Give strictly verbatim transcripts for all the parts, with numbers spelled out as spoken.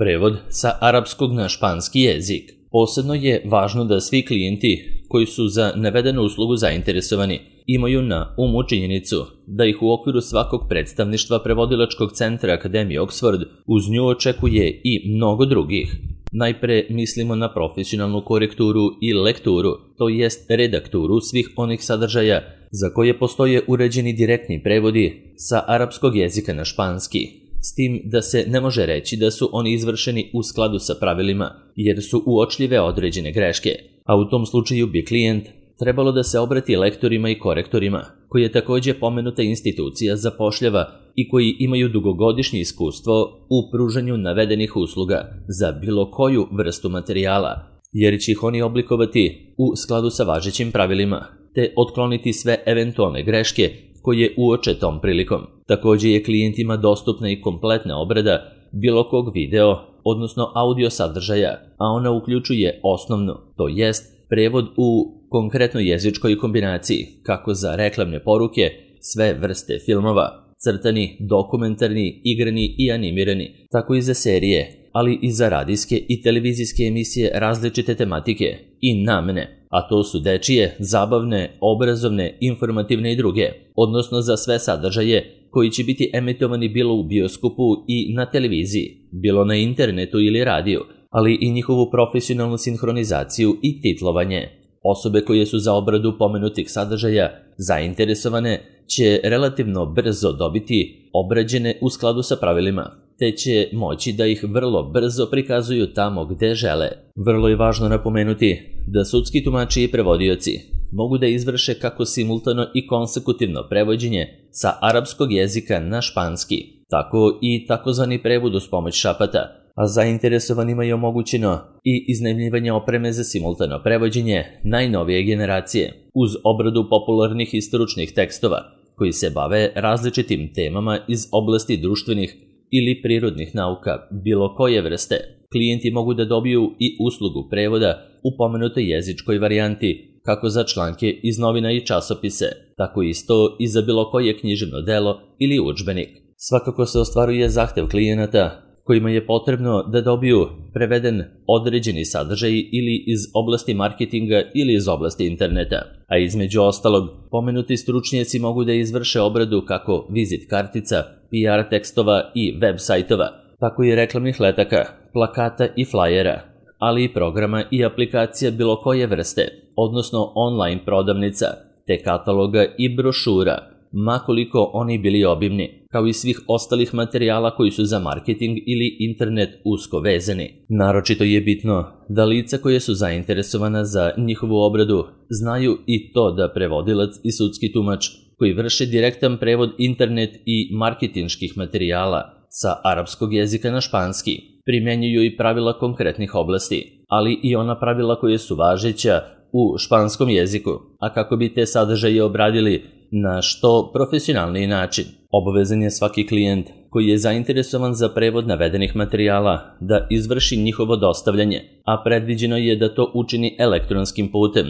Prevod sa arapskog na španski jezik. Posebno je važno da svi klijenti koji su za navedenu uslugu zainteresovani imaju na umu činjenicu da ih u okviru svakog predstavništva prevodilačkog centra Akademije Oxford uz nju očekuje i mnogo drugih. Najpre mislimo na profesionalnu korekturu i lekturu, to jest redakturu svih onih sadržaja za koje postoje uređeni direktni prevodi sa arapskog jezika na španski, s tim da se ne može reći da su oni izvršeni u skladu sa pravilima, jer su uočljive određene greške, a u tom slučaju bi klijent trebalo da se obrati lektorima i korektorima, koji je takođe pomenuta institucija zapošljava i koji imaju dugogodišnje iskustvo u pružanju navedenih usluga za bilo koju vrstu materijala, jer će ih oni oblikovati u skladu sa važećim pravilima, te otkloniti sve eventualne greške koje uoče tom prilikom. Takođe je klijentima dostupna i kompletna obrada bilo kog video, odnosno audio sadržaja, a ona uključuje osnovnu, to jest prevod u konkretnoj jezičkoj kombinaciji, kako za reklamne poruke, sve vrste filmova, crtani, dokumentarni, igrani i animirani, tako i za serije, ali i za radijske i televizijske emisije različite tematike i namene, a to su dečije, zabavne, obrazovne, informativne i druge, odnosno za sve sadržaje koji će biti emitovani bilo u bioskopu i na televiziji, bilo na internetu ili radiju, ali i njihovu profesionalnu sinhronizaciju i titlovanje. Osobe koje su za obradu pomenutih sadržaja zainteresovane će relativno brzo dobiti obrađene u skladu sa pravilima, te će moći da ih vrlo brzo prikazuju tamo gde žele. Vrlo je važno napomenuti da sudski tumači i prevodioci mogu da izvrše kako simultano i konsekutivno prevođenje sa arapskog jezika na španski, tako i takozvani prevod uz pomoć šapata, a zainteresovanima je omogućeno i iznajmljivanje opreme za simultano prevođenje najnovije generacije uz obradu popularnih i stručnih tekstova koji se bave različitim temama iz oblasti društvenih ili prirodnih nauka bilo koje vrste. Klijenti mogu da dobiju i uslugu prevoda u pomenutoj jezičkoj varijanti, kako za članke iz novina i časopise, tako isto i za bilo koje književno delo ili udžbenik. Svakako se ostvaruje zahtev klijenata kojima je potrebno da dobiju preveden određeni sadržaj ili iz oblasti marketinga ili iz oblasti interneta, a između ostalog, pomenuti stručnjaci mogu da izvrše obradu kako vizit kartica, P R tekstova i web sajtova, tako i reklamnih letaka, plakata i flajera, ali i programa i aplikacija bilo koje vrste, odnosno online prodavnica, te kataloga i brošura, makoliko oni bili obimni, kao i svih ostalih materijala koji su za marketing ili internet usko vezani. Naročito je bitno da lica koje su zainteresovana za njihovu obradu znaju i to da prevodilac i sudski tumač koji vrše direktan prevod internet i marketinških materijala sa arapskog jezika na španski primjenjuju i pravila konkretnih oblasti, ali i ona pravila koje su važeća u španskom jeziku, a kako bi te sadržaje obradili na što profesionalniji način. Obavezan je svaki klijent koji je zainteresovan za prevod navedenih materijala da izvrši njihovo dostavljanje, a predviđeno je da to učini elektronskim putem,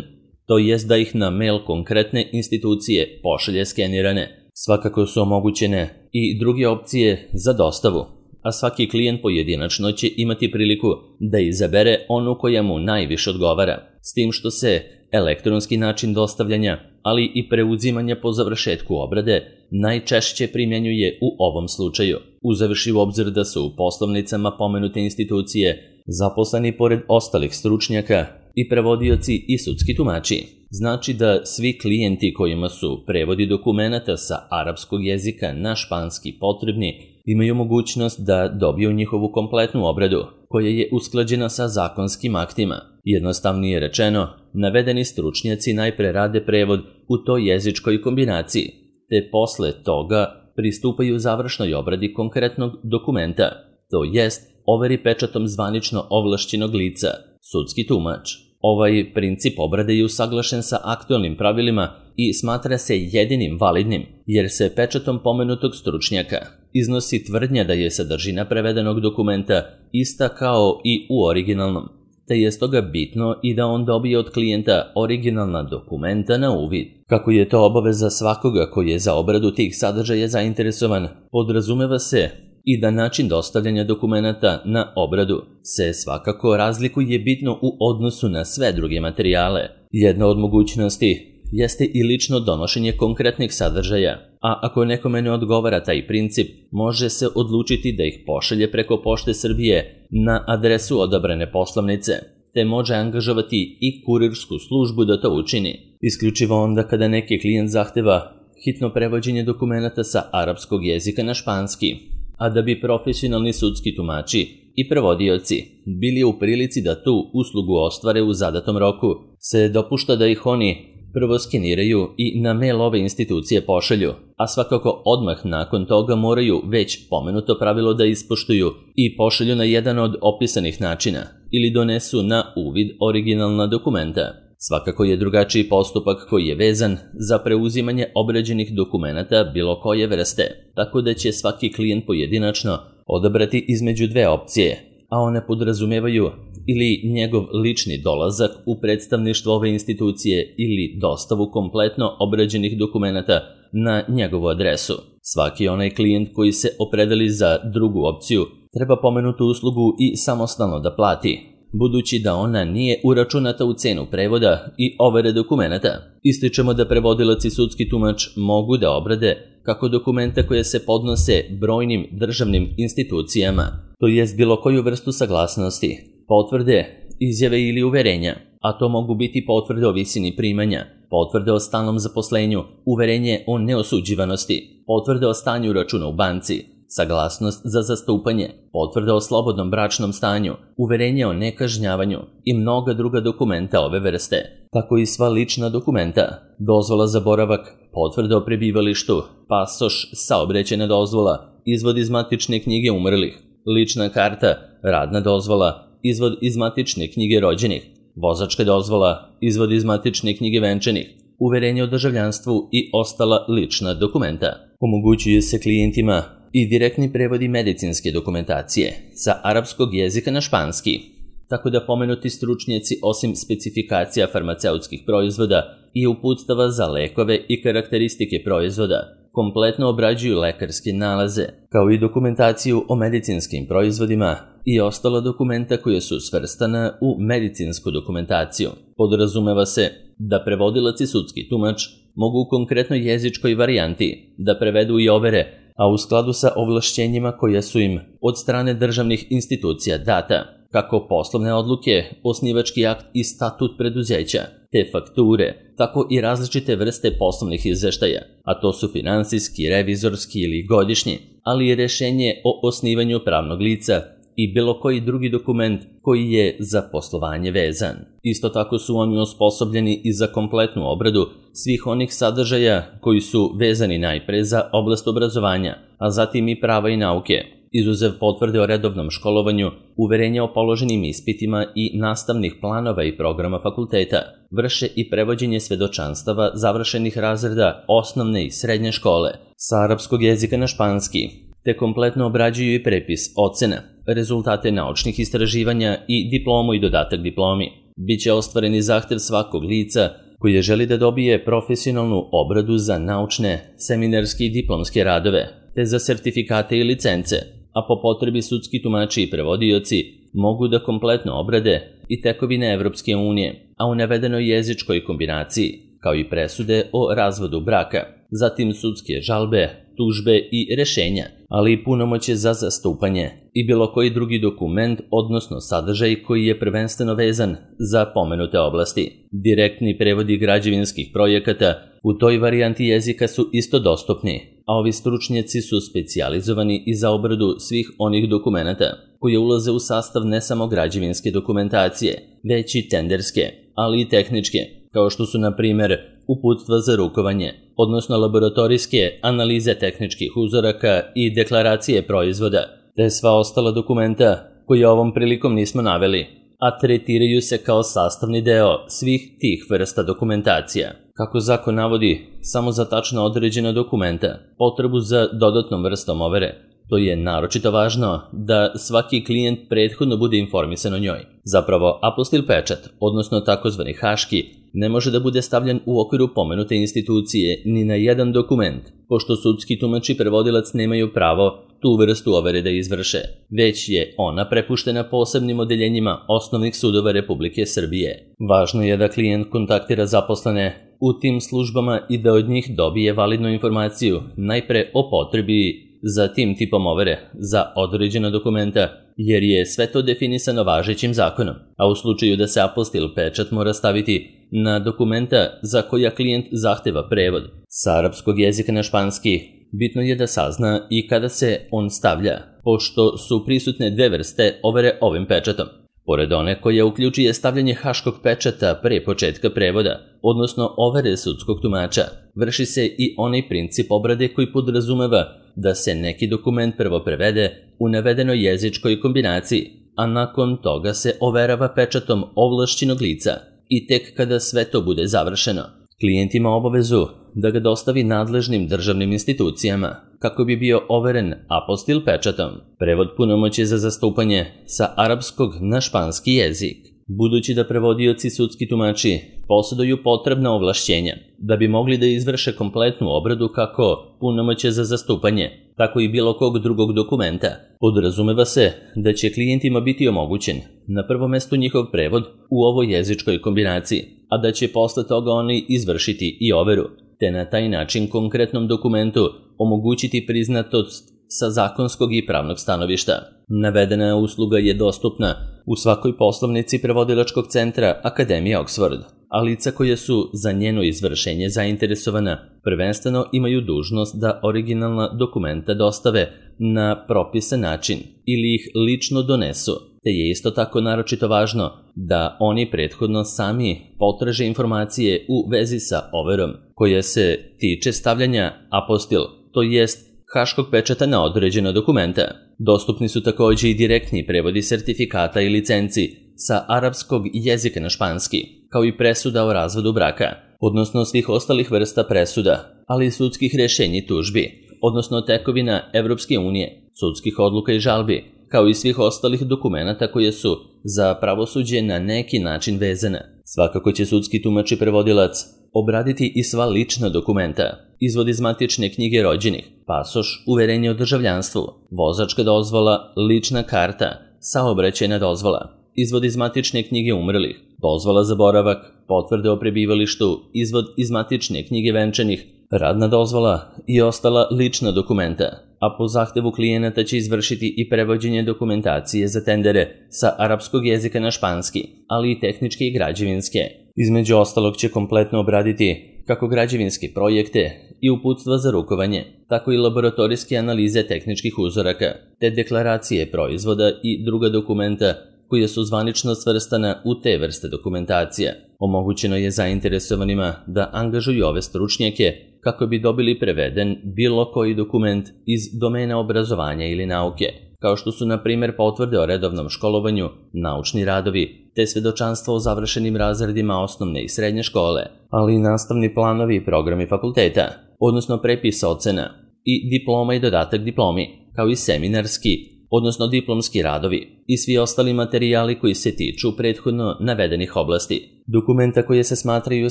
to jest da ih na mail konkretne institucije pošalje skenirane. Svakako su omogućene i druge opcije za dostavu, a svaki klijent pojedinačno će imati priliku da izabere onu koja mu najviše odgovara, s tim što se elektronski način dostavljanja, ali i preuzimanja po završetku obrade najčešće primjenjuje u ovom slučaju, uzevši u obzir da su u poslovnicama pomenute institucije zaposleni pored ostalih stručnjaka i prevodioci i sudski tumači. Znači da svi klijenti kojima su prevodi dokumenata sa arapskog jezika na španski potrebni imaju mogućnost da dobiju njihovu kompletnu obradu, koja je usklađena sa zakonskim aktima. Jednostavnije rečeno, navedeni stručnjaci najpre rade prevod u toj jezičkoj kombinaciji, te posle toga pristupaju završnoj obradi konkretnog dokumenta, to jest overi pečatom zvanično ovlašćenog lica, sudski tumač. Ovaj princip obrade je usaglašen sa aktualnim pravilima i smatra se jedinim validnim, jer se pečatom pomenutog stručnjaka iznosi tvrdnja da je sadržina prevedenog dokumenta ista kao i u originalnom, te je stoga bitno i da on dobije od klijenta originalna dokumenta na uvid. Kako je to obaveza svakoga koji je za obradu tih sadržaja zainteresovan, podrazumeva se i da način dostavljanja dokumenata na obradu se svakako razlikuje bitno u odnosu na sve druge materijale. Jedna od mogućnosti jeste i lično donošenje konkretnih sadržaja, a ako nekome ne odgovara taj princip, može se odlučiti da ih pošalje preko Pošte Srbije na adresu odabrane poslovnice, te može angažovati i kurirsku službu da to učini. Isključivo onda kada neki klijent zahteva hitno prevođenje dokumenata sa arapskog jezika na španski, a da bi profesionalni sudski tumači i prevodioci bili u prilici da tu uslugu ostvare u zadatom roku, se dopušta da ih oni prvo skeniraju i na mail ove institucije pošalju, a svakako odmah nakon toga moraju već pomenuto pravilo da ispoštuju i pošalju na jedan od opisanih načina ili donesu na uvid originalna dokumenta. Svakako je drugačiji postupak koji je vezan za preuzimanje obrađenih dokumenata bilo koje vrste, tako da će svaki klijent pojedinačno odabrati između dve opcije, a one podrazumevaju ili njegov lični dolazak u predstavništvo ove institucije ili dostavu kompletno obrađenih dokumenata na njegovu adresu. Svaki onaj klijent koji se opredeli za drugu opciju treba pomenutu uslugu i samostalno da plati, budući da ona nije uračunata u cenu prevoda i overe dokumenata. Ističemo da prevodilac i sudski tumač mogu da obrade kako dokumenta koje se podnose brojnim državnim institucijama, to jest bilo koju vrstu saglasnosti, potvrde, izjave ili uverenja, a to mogu biti potvrde o visini primanja, potvrde o stalnom zaposlenju, uverenje o neosuđivanosti, potvrde o stanju računa u banci, saglasnost za zastupanje, potvrda o slobodnom bračnom stanju, uverenje o nekažnjavanju i mnoga druga dokumenta ove vrste, tako i sva lična dokumenta, dozvola za boravak, potvrda o prebivalištu, pasoš, saobraćajna dozvola, izvod iz matične knjige umrlih, lična karta, radna dozvola, izvod iz matične knjige rođenih, vozačka dozvola, izvod iz matične knjige venčanih, uverenje o državljanstvu i ostala lična dokumenta. Omogućuje se klijentima i direktni prevodi medicinske dokumentacije sa arapskog jezika na španski, tako da pomenuti stručnjaci osim specifikacija farmaceutskih proizvoda i uputstava za lekove i karakteristike proizvoda, kompletno obrađuju lekarske nalaze, kao i dokumentaciju o medicinskim proizvodima i ostala dokumenta koja su svrstana u medicinsku dokumentaciju. Podrazumeva se da prevodilac i sudski tumač mogu u konkretnoj jezičkoj varijanti da prevedu i overe, a u skladu sa ovlašćenjima koja su im od strane državnih institucija data, kako poslovne odluke, osnivački akt i statut preduzeća, te fakture, tako i različite vrste poslovnih izveštaja, a to su finansijski, revizorski ili godišnji, ali i rešenje o osnivanju pravnog lica i bilo koji drugi dokument koji je za poslovanje vezan. Isto tako su oni osposobljeni i za kompletnu obradu svih onih sadržaja koji su vezani najpre za oblast obrazovanja, a zatim i prava i nauke, izuzev potvrde o redovnom školovanju, uverenja o položenim ispitima i nastavnih planova i programa fakulteta, vrše i prevođenje svedočanstava završenih razreda osnovne i srednje škole sa arapskog jezika na španski, te kompletno obrađuju i prepis ocena, rezultate naučnih istraživanja i diplomu i dodatak diplomi. Biće ostvareni zahtev svakog lica koji želi da dobije profesionalnu obradu za naučne, seminarske i diplomske radove, te za sertifikate i licence, a po potrebi sudski tumači i prevodioci mogu da kompletno obrade i tekovine Evropske unije, a u navedenoj jezičkoj kombinaciji, kao i presude o razvodu braka, zatim sudske žalbe, tužbe i rešenja, ali i punomoćje za zastupanje i bilo koji drugi dokument, odnosno sadržaj koji je prvenstveno vezan za pomenute oblasti. Direktni prevodi građevinskih projekata u toj varijanti jezika su isto dostupni, a ovi stručnjaci su specijalizovani i za obradu svih onih dokumenata koje ulaze u sastav ne samo građevinske dokumentacije, već i tenderske, ali i tehničke, kao što su, na primjer, uputstva za rukovanje, odnosno laboratorijske analize tehničkih uzoraka i deklaracije proizvoda, te sva ostala dokumenta koje ovom prilikom nismo naveli, a tretiraju se kao sastavni deo svih tih vrsta dokumentacija. Kako zakon navodi samo za tačno određena dokumenta, potrebu za dodatnom vrstom overe, to je naročito važno da svaki klijent prethodno bude informisan o njoj. Zapravo, apostil pečat, odnosno takozvani haški, ne može da bude stavljen u okviru pomenute institucije ni na jedan dokument, pošto sudski tumač i prevodilac nemaju pravo tu vrstu overe da izvrše, već je ona prepuštena posebnim odeljenjima osnovnih sudova Republike Srbije. Važno je da klijent kontaktira zaposlene u tim službama i da od njih dobije validnu informaciju, najpre o potrebi za tim tipom overe za određena dokumenta, jer je sve to definisano važećim zakonom, a u slučaju da se apostil pečat mora staviti na dokumenta za koja klijent zahteva prevod sa arapskog jezika na španski, bitno je da sazna i kada se on stavlja, pošto su prisutne dve vrste overe ovim pečatom. Pored one koja uključuje stavljanje haškog pečata pre početka prevoda, odnosno overe sudskog tumača, vrši se i onaj princip obrade koji podrazumeva da se neki dokument prvo prevede u navedenoj jezičkoj kombinaciji, a nakon toga se overava pečatom ovlašćenog lica i tek kada sve to bude završeno, klijent ima obavezu da ga dostavi nadležnim državnim institucijama kako bi bio overen apostil pečatom. Prevod punomoći za zastupanje sa arapskog na španski jezik. Budući da prevodioci sudski tumači posjeduju potrebna ovlašćenja da bi mogli da izvrše kompletnu obradu kako punomoće za zastupanje, tako i bilo kog drugog dokumenta, podrazumeva se da će klijentima biti omogućen na prvom mestu njihov prevod u ovoj jezičkoj kombinaciji, a da će posle toga oni izvršiti i overu, te na taj način konkretnom dokumentu omogućiti priznatost sa zakonskog i pravnog stanovišta. Navedena usluga je dostupna u svakoj poslovnici prevodilačkog centra Akademije Oxford, a lica koje su za njeno izvršenje zainteresovana prvenstveno imaju dužnost da originalna dokumenta dostave na propisan način ili ih lično donesu, te je isto tako naročito važno da oni prethodno sami potraže informacije u vezi sa overom koja se tiče stavljanja apostil, to jest haškog pečata na određena dokumenta. Dostupni su također i direktni prevodi sertifikata i licenci sa arapskog jezika na španski, kao i presuda o razvodu braka, odnosno svih ostalih vrsta presuda, ali i sudskih rješenja i tužbi, odnosno tekovina Evropske unije, sudskih odluka i žalbi, kao i svih ostalih dokumenata koje su za pravosuđe na neki način vezane. Svakako će sudski tumač i prevodilac obraditi i sva lična dokumenta, izvod iz matične knjige rođenih, pasoš, uverenje o državljanstvu, vozačka dozvola, lična karta, saobraćajna dozvola, izvod iz matične knjige umrlih, dozvola za boravak, potvrde o prebivalištu, izvod iz matične knjige venčanih, radna dozvola i ostala lična dokumenta, a po zahtevu klijenata će izvršiti i prevođenje dokumentacije za tendere sa arapskog jezika na španski, ali i tehničke i građevinske. Između ostalog će kompletno obraditi kako građevinske projekte i uputstva za rukovanje, tako i laboratorijske analize tehničkih uzoraka, te deklaracije proizvoda i druga dokumenta koja su zvanično svrstana u te vrste dokumentacija. Omogućeno je zainteresovanima da angažuju ove stručnjake kako bi dobili preveden bilo koji dokument iz domena obrazovanja ili nauke, kao što su na primjer potvrde o redovnom školovanju, naučni radovi, te svedočanstvo o završenim razredima osnovne i srednje škole, ali i nastavni planovi i programi fakulteta, odnosno prepis ocena i diploma i dodatak diplomi, kao i seminarski, odnosno diplomski radovi i svi ostali materijali koji se tiču prethodno navedenih oblasti. Dokumenta koje se smatraju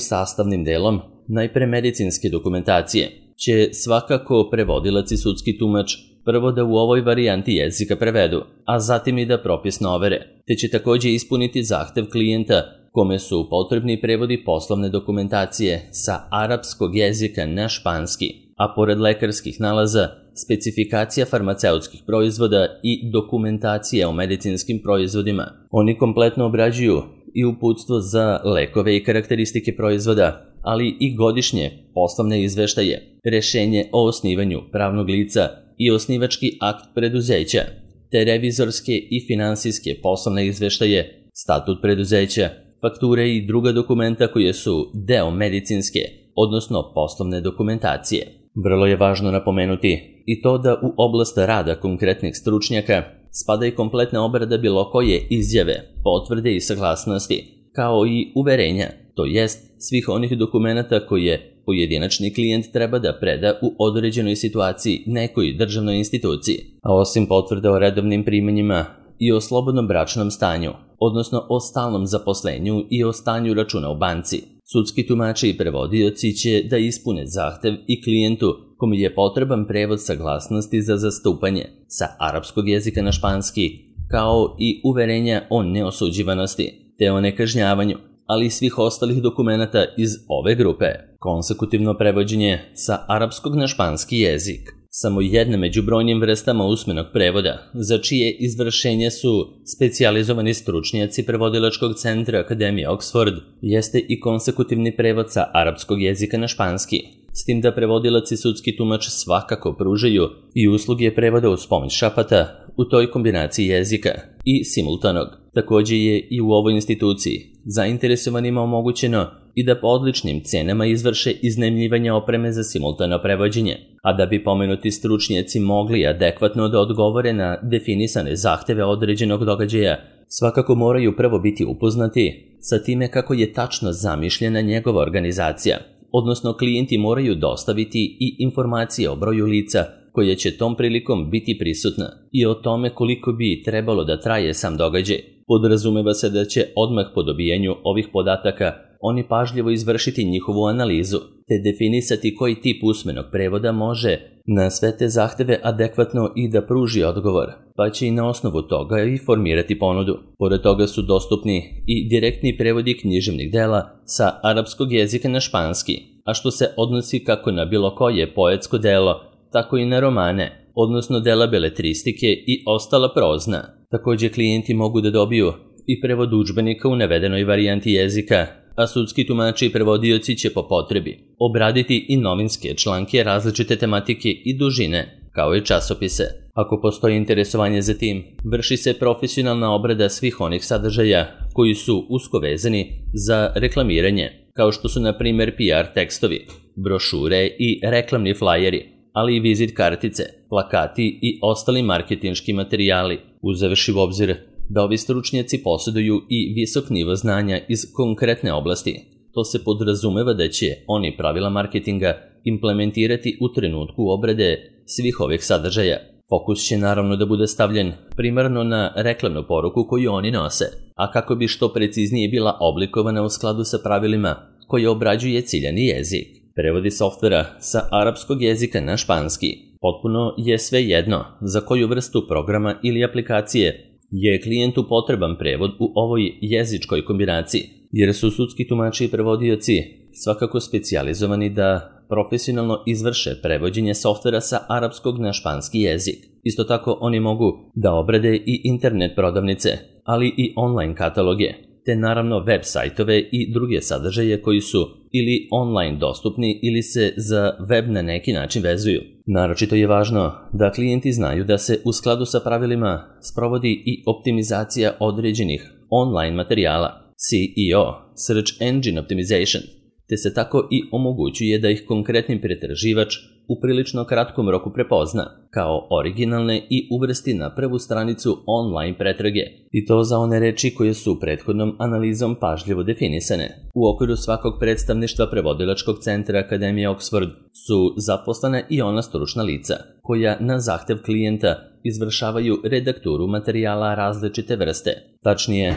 sastavnim delom najpre medicinske dokumentacije će svakako prevodilac i sudski tumač prvo da u ovoj varijanti jezika prevedu, a zatim i da propisno overe, te će također ispuniti zahtev klijenta kome su potrebni prevodi poslovne dokumentacije sa arapskog jezika na španski, a pored lekarskih nalaza, specifikacija farmaceutskih proizvoda i dokumentacija o medicinskim proizvodima. Oni kompletno obrađuju i uputstvo za lekove i karakteristike proizvoda, ali i godišnje poslovne izveštaje, rešenje o osnivanju pravnog lica i osnivački akt preduzeća, te revizorske i finansijske poslovne izveštaje, statut preduzeća, fakture i druga dokumenta koje su deo medicinske, odnosno poslovne dokumentacije. Vrlo je važno napomenuti i to da u oblast rada konkretnih stručnjaka spada i kompletna obrada bilo koje izjave, potvrde i saglasnosti, kao i uverenja, to jest svih onih dokumenata koje pojedinačni klijent treba da preda u određenoj situaciji nekoj državnoj instituciji, a osim potvrde o redovnim primanjima i o slobodnom bračnom stanju, odnosno o stalnom zaposlenju i o stanju računa u banci. Sudski tumači i prevodioci će da ispune zahtev i klijentu kome je potreban prevod saglasnosti za zastupanje sa arapskog jezika na španski, kao i uverenja o neosuđivanosti te o nekažnjavanju, ali i svih ostalih dokumenata iz ove grupe. Konsekutivno prevođenje sa arapskog na španski jezik. Samo jedna među brojnim vrstama usmenog prevoda, za čije izvršenje su specijalizovani stručnjaci prevodilačkog centra Akademije Oxford, jeste i konsekutivni prevod sa arapskog jezika na španski, s tim da prevodilac i sudski tumač svakako pružaju i usluge prevoda uz pomoć šapata u toj kombinaciji jezika i simultanog. Također je i u ovoj instituciji zainteresovanima omogućeno i da po odličnim cenama izvrše iznajmljivanje opreme za simultano prevođenje, a da bi pomenuti stručnjaci mogli adekvatno da odgovore na definisane zahteve određenog događaja, svakako moraju prvo biti upoznati sa time kako je tačno zamišljena njegova organizacija, odnosno klijenti moraju dostaviti i informacije o broju lica koje će tom prilikom biti prisutna i o tome koliko bi trebalo da traje sam događaj. Podrazumeva se da će odmah po dobijanju ovih podataka oni pažljivo izvršiti njihovu analizu, te definisati koji tip usmenog prevoda može na sve te zahteve adekvatno i da pruži odgovor, pa će i na osnovu toga i formirati ponudu. Pored toga su dostupni i direktni prevodi književnih dela sa arapskog jezika na španski, a što se odnosi kako na bilo koje poetsko delo, tako i na romane, odnosno dela beletristike i ostala prozna. Također klijenti mogu da dobiju i prevod udžbenika u navedenoj varijanti jezika, a sudski tumači i prevodioci će po potrebi obraditi i novinske članke različite tematike i dužine, kao i časopise. Ako postoji interesovanje za tim, vrši se profesionalna obrada svih onih sadržaja koji su usko vezani za reklamiranje, kao što su na primjer P R tekstovi, brošure i reklamni flajeri, ali i vizit kartice, plakati i ostali marketinški materijali, uzevši u obzir da ovi stručnjaci posjeduju i visok nivo znanja iz konkretne oblasti. To se podrazumeva da će oni pravila marketinga implementirati u trenutku obrade svih ovih sadržaja. Fokus će naravno da bude stavljen primarno na reklamnu poruku koju oni nose, a kako bi što preciznije bila oblikovana u skladu sa pravilima koje obrađuje ciljani jezik. Prevodi softvera sa arapskog jezika na španski. Potpuno je sve jedno za koju vrstu programa ili aplikacije je klijentu potreban prevod u ovoj jezičkoj kombinaciji, jer su sudski tumači i prevodioci svakako specijalizovani da profesionalno izvrše prevođenje softvera sa arapskog na španski jezik. Isto tako oni mogu da obrade i internet prodavnice, ali i online kataloge, te naravno web sajtove i druge sadržaje koji su ili online dostupni ili se za web na neki način vezuju. Naročito je važno da klijenti znaju da se u skladu sa pravilima sprovodi i optimizacija određenih online materijala, S E O, Search Engine Optimization, te se tako i omogućuje da ih konkretni pretraživač u prilično kratkom roku prepozna kao originalne i uvrsti na prvu stranicu online pretrage, i to za one reči koje su prethodnom analizom pažljivo definisane. U okviru svakog predstavništva prevodilačkog centra Akademije Oxford su zaposlena i ona stručna lica koja na zahtev klijenta izvršavaju redakturu materijala različite vrste. Tačnije,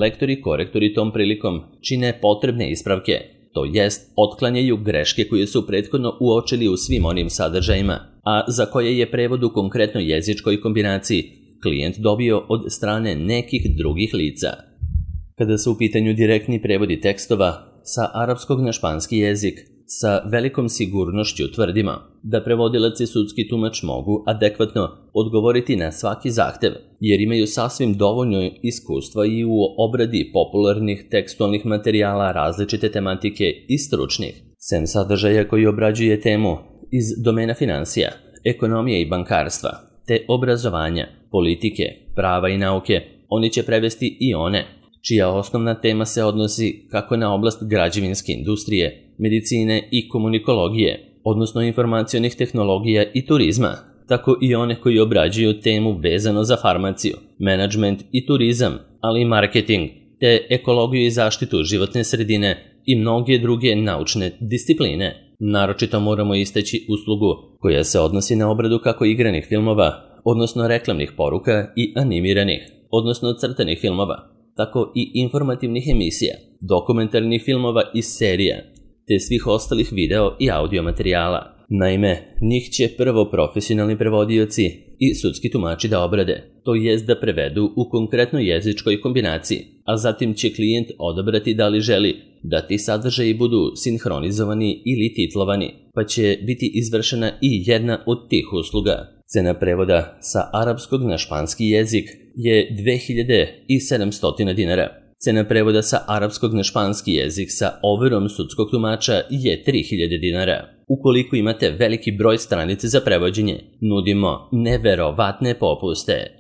lektori i korektori tom prilikom čine potrebne ispravke, to jest otklanjaju greške koje su prethodno uočili u svim onim sadržajima, a za koje je prevod u konkretnoj jezičkoj kombinaciji klijent dobio od strane nekih drugih lica. Kada su u pitanju direktni prevodi tekstova sa arapskog na španski jezik, sa velikom sigurnošću tvrdimo da prevodilac i sudski tumač mogu adekvatno odgovoriti na svaki zahtev, jer imaju sasvim dovoljno iskustva i u obradi popularnih tekstualnih materijala različite tematike i stručnih. Sem sadržaja koji obrađuje temu iz domena financija, ekonomije i bankarstva, te obrazovanja, politike, prava i nauke, oni će prevesti i one čija osnovna tema se odnosi kako na oblast građevinske industrije, medicine i komunikologije, odnosno informacionih tehnologija i turizma, tako i one koji obrađuju temu vezano za farmaciju, menadžment i turizam, ali i marketing, te ekologiju i zaštitu životne sredine i mnoge druge naučne discipline. Naročito moramo istaći uslugu koja se odnosi na obradu kako igranih filmova, odnosno reklamnih poruka, i animiranih, odnosno crtanih filmova, tako i informativnih emisija. dokumentarnih filmova i serija, te svih ostalih video i audio materijala. Naime, njih će prvo profesionalni prevodioci i sudski tumači da obrade, to jest da prevedu u konkretnoj jezičkoj kombinaciji, a zatim će klijent odabrati da li želi da ti sadržaji budu sinhronizovani ili titlovani, pa će biti izvršena i jedna od tih usluga. Cena prevoda sa arapskog na španski jezik je dve hiljade sedamsto dinara. Cena prevoda sa arapskog na španski jezik sa overom sudskog tumača je tri hiljade dinara. Ukoliko imate veliki broj stranica za prevođenje, nudimo neverovatne popuste.